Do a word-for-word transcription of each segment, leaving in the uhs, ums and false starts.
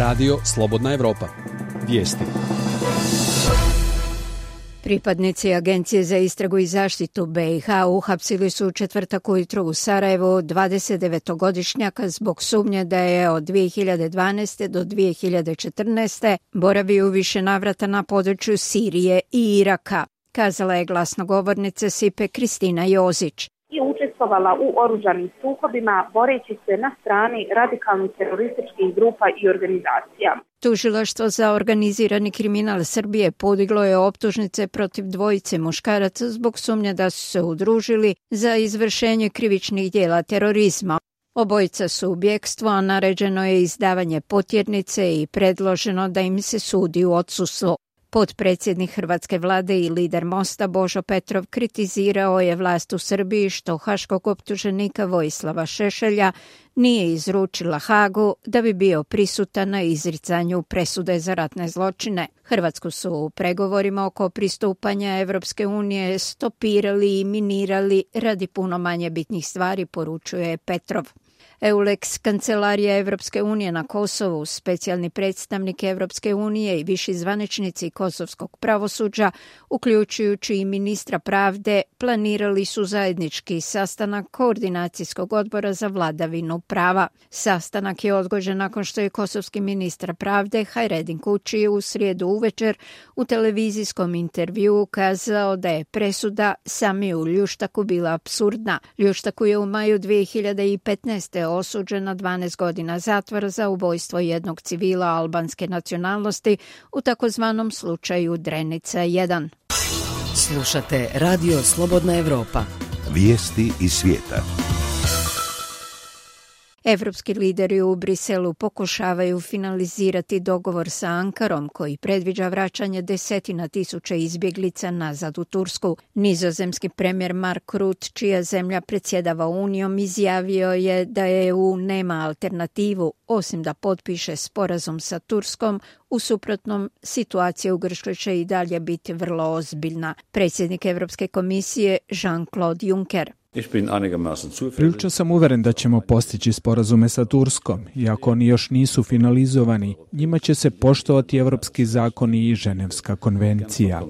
Radio Slobodna Evropa. Vijesti. Pripadnici Agencije za istragu i zaštitu be i ha uhapsili su u četvrtak ujutro u Sarajevu dvadesetdevetogodišnjaka zbog sumnje da je od dvije hiljade dvanaeste. do dvije hiljade četrnaeste. boravio u više navrata na području Sirije i Iraka, kazala je glasnogovornica SIPA Kristina Jozić. I učestvovala u oružanim sukobima boreći se na strani radikalnih terorističkih grupa i organizacija. Tužilaštvo za organizirani kriminal Srbije podiglo je optužnice protiv dvojice muškaraca zbog sumnje da su se udružili za izvršenje krivičnih djela terorizma. Obojica su u bjekstvu, a naređeno je izdavanje potjernice i predloženo da im se sudi u odsustvu. Potpredsjednik hrvatske vlade i lider Mosta Božo Petrov kritizirao je vlast u Srbiji što haškog optuženika Vojislava Šešelja nije izručila Hagu da bi bio prisutan na izricanju presude za ratne zločine. Hrvatsku su u pregovorima oko pristupanja Evropske unije stopirali i minirali radi puno manje bitnih stvari, poručuje Petrov. EULEX, kancelarija Evropske unije na Kosovu, specijalni predstavnik Evropske unije i viši zvaničnici kosovskog pravosuđa, uključujući i ministra pravde, planirali su zajednički sastanak koordinacijskog odbora za vladavinu prava. Sastanak je odgođen nakon što je kosovski ministar pravde Hajredin Kući u srijedu uvečer u televizijskom intervjuu kazao da je presuda Samiju Ljuštaku bila apsurdna. Ljuštaku je u maju dvije hiljade petnaeste. osuđen na dvanaest godina zatvora za ubojstvo jednog civila albanske nacionalnosti u takozvanom slučaju Drenica jedan. Slušate Radio Slobodna Evropa. Vijesti iz svijeta. Evropski lideri u Briselu pokušavaju finalizirati dogovor sa Ankarom koji predviđa vraćanje desetina tisuća izbjeglica nazad u Tursku. Nizozemski premijer Mark Rutte, čija zemlja predsjedava Unijom, izjavio je da E U nema alternativu osim da potpiše sporazum sa Turskom, u suprotnom situacija u Grčkoj će i dalje biti vrlo ozbiljna. Predsjednik Europske komisije Jean-Claude Juncker. Prilično sam uveren da ćemo postići sporazume sa Turskom, iako oni još nisu finalizovani. Njima će se poštovati evropski zakoni i Ženevska konvencija.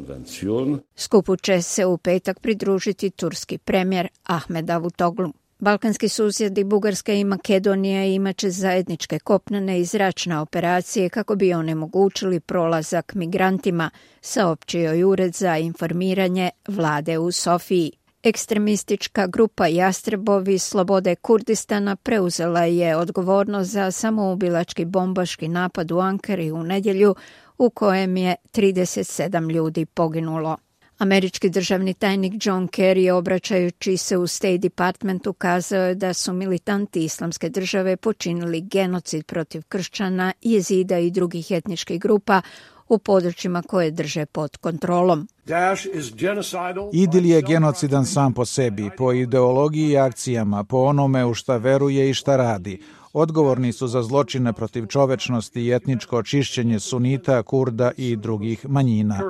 Skupu će se u petak pridružiti turski premijer Ahmed Davutoglu. Balkanski susjedi Bugarska i Makedonija imat će zajedničke kopnene i zračne operacije kako bi onemogućili prolazak migrantima, saopćio je Ured za informiranje vlade u Sofiji. Ekstremistička grupa Jastrebovi slobode Kurdistana preuzela je odgovornost za samoubilački bombaški napad u Ankari u nedjelju u kojem je trideset sedam ljudi poginulo. Američki državni tajnik John Kerry, obraćajući se u State Departmentu, kazao je da su militanti Islamske države počinili genocid protiv kršćana, jezida i drugih etničkih grupa u područjima koje drže pod kontrolom. Idil je genocidan sam po sebi, po ideologiji i akcijama, po onome u šta veruje i šta radi. Odgovorni su za zločine protiv čovečnosti i etničko očišćenje sunita, Kurda i drugih manjina.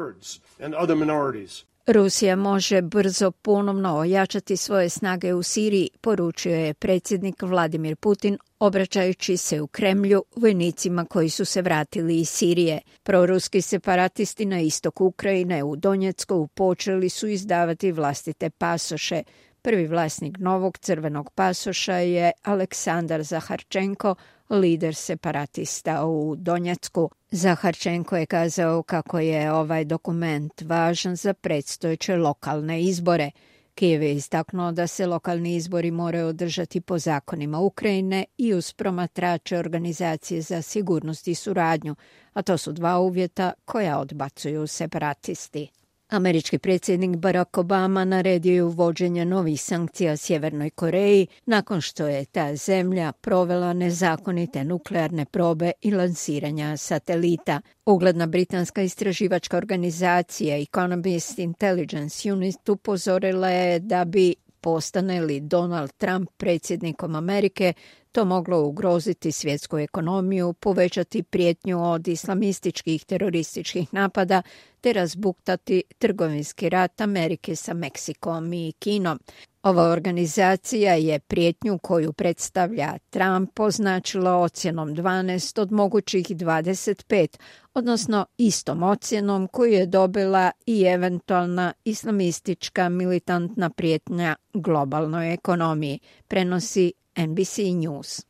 Rusija može brzo ponovno ojačati svoje snage u Siriji, poručio je predsjednik Vladimir Putin, obraćajući se u Kremlju vojnicima koji su se vratili iz Sirije. Proruski separatisti na istoku Ukrajine u Donjecku počeli su izdavati vlastite pasoše. Prvi vlasnik novog crvenog pasoša je Aleksandar Zaharčenko, lider separatista u Donjecku. Zaharčenko je kazao kako je ovaj dokument važan za predstojeće lokalne izbore. Kijev je istaknuo da se lokalni izbori moraju održati po zakonima Ukrajine i uz promatrače Organizacije za sigurnost i suradnju, a to su dva uvjeta koja odbacuju separatisti. Američki predsjednik Barack Obama naredio je uvođenje novih sankcija Sjevernoj Koreji nakon što je ta zemlja provela nezakonite nuklearne probe i lansiranja satelita. Ugledna britanska istraživačka organizacija Economist Intelligence Unit upozorila je da bi postane li Donald Trump predsjednikom Amerike, to moglo ugroziti svjetsku ekonomiju, povećati prijetnju od islamističkih terorističkih napada te razbuktati trgovinski rat Amerike sa Meksikom i Kinom. Ova organizacija je prijetnju koju predstavlja Trump označila ocjenom dvanaest od mogućih dvadeset pet, odnosno istom ocjenom koju je dobila i eventualna islamistička militantna prijetnja globalnoj ekonomiji, prenosi N B C News.